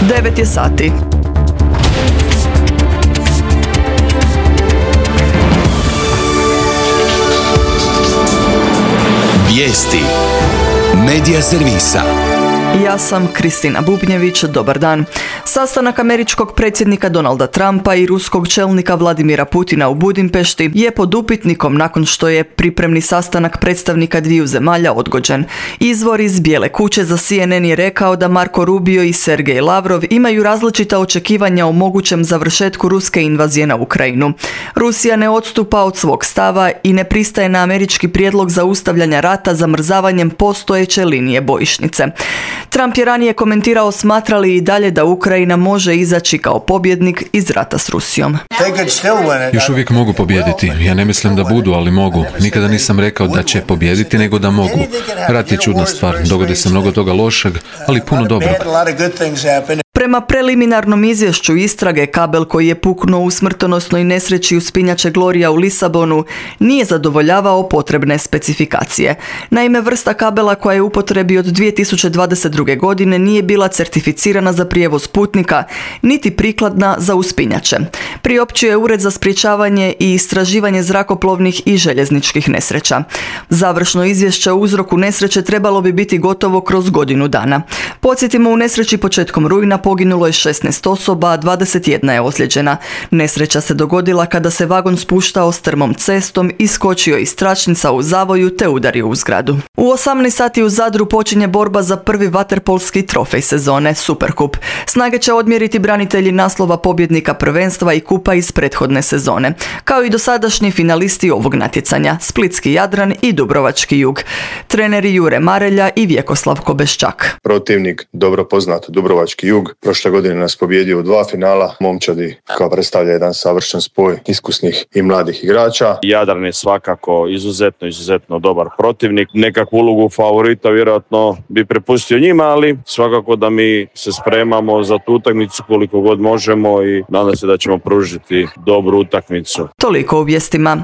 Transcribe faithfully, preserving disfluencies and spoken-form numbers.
devet je sati. Vijesti Medija servisa. Ja sam Kristina Bubnjević, dobar dan. Sastanak američkog predsjednika Donalda Trumpa i ruskog čelnika Vladimira Putina u Budimpešti je pod upitnikom nakon što je pripremni sastanak predstavnika dviju zemalja odgođen. Izvor iz Bijele kuće za C N N je rekao da Marko Rubio i Sergej Lavrov imaju različita očekivanja o mogućem završetku ruske invazije na Ukrajinu. Rusija ne odstupa od svog stava i ne pristaje na američki prijedlog zaustavljanja rata zamrzavanjem postojeće linije bojišnice. Trump je ranije komentirao smatra li i dalje da Ukrajina može izaći kao pobjednik iz rata s Rusijom. Još uvijek mogu pobijediti. Ja ne mislim da budu, ali mogu. Nikada nisam rekao da će pobijediti, nego da mogu. Rat je čudna stvar. Dogodi se mnogo toga lošeg, ali puno dobrog. Prema preliminarnom izvješću istrage, kabel koji je puknuo u smrtonosnoj nesreći uspinjače Gloria u Lisabonu nije zadovoljavao potrebne specifikacije. Naime, vrsta kabela koja je u upotrebi od dvije tisuće dvadeset druge. godine nije bila certificirana za prijevoz putnika, niti prikladna za uspinjače. Priopćio je Ured za sprječavanje i istraživanje zrakoplovnih i željezničkih nesreća. Završno izvješće o uzroku nesreće trebalo bi biti gotovo kroz godinu dana. Podsjetimo, u nesreći početkom rujna poginulo je šesnaest osoba, a dvadeset jedna je ozlijeđena. Nesreća se dogodila kada se vagon spuštao strmom cestom, iskočio iz tračnica u zavoju te udario u zgradu. U osamnaest sati u Zadru počinje borba za prvi vaterpolski trofej sezone, Superkup. Snage će odmjeriti branitelji naslova pobjednika prvenstva i kupa iz prethodne sezone, kao i dosadašnji finalisti ovog natjecanja, Splitski Jadran i Dubrovački Jug. Treneri Jure Marelja i Vjekoslav Kobeščak. Protivnik dobro poznat, Dubrovački Jug. Prošle godine nas pobjedio u dva finala. Momčadi kao predstavlja jedan savršen spoj iskusnih i mladih igrača. Jadran je svakako izuzetno, izuzetno dobar protivnik. Nekakvu ulogu favorita vjerojatno bi prepustio njima, ali svakako da mi se spremamo za tu utakmicu koliko god možemo i nadam se da ćemo pružiti dobru utakmicu. Toliko u vijestima.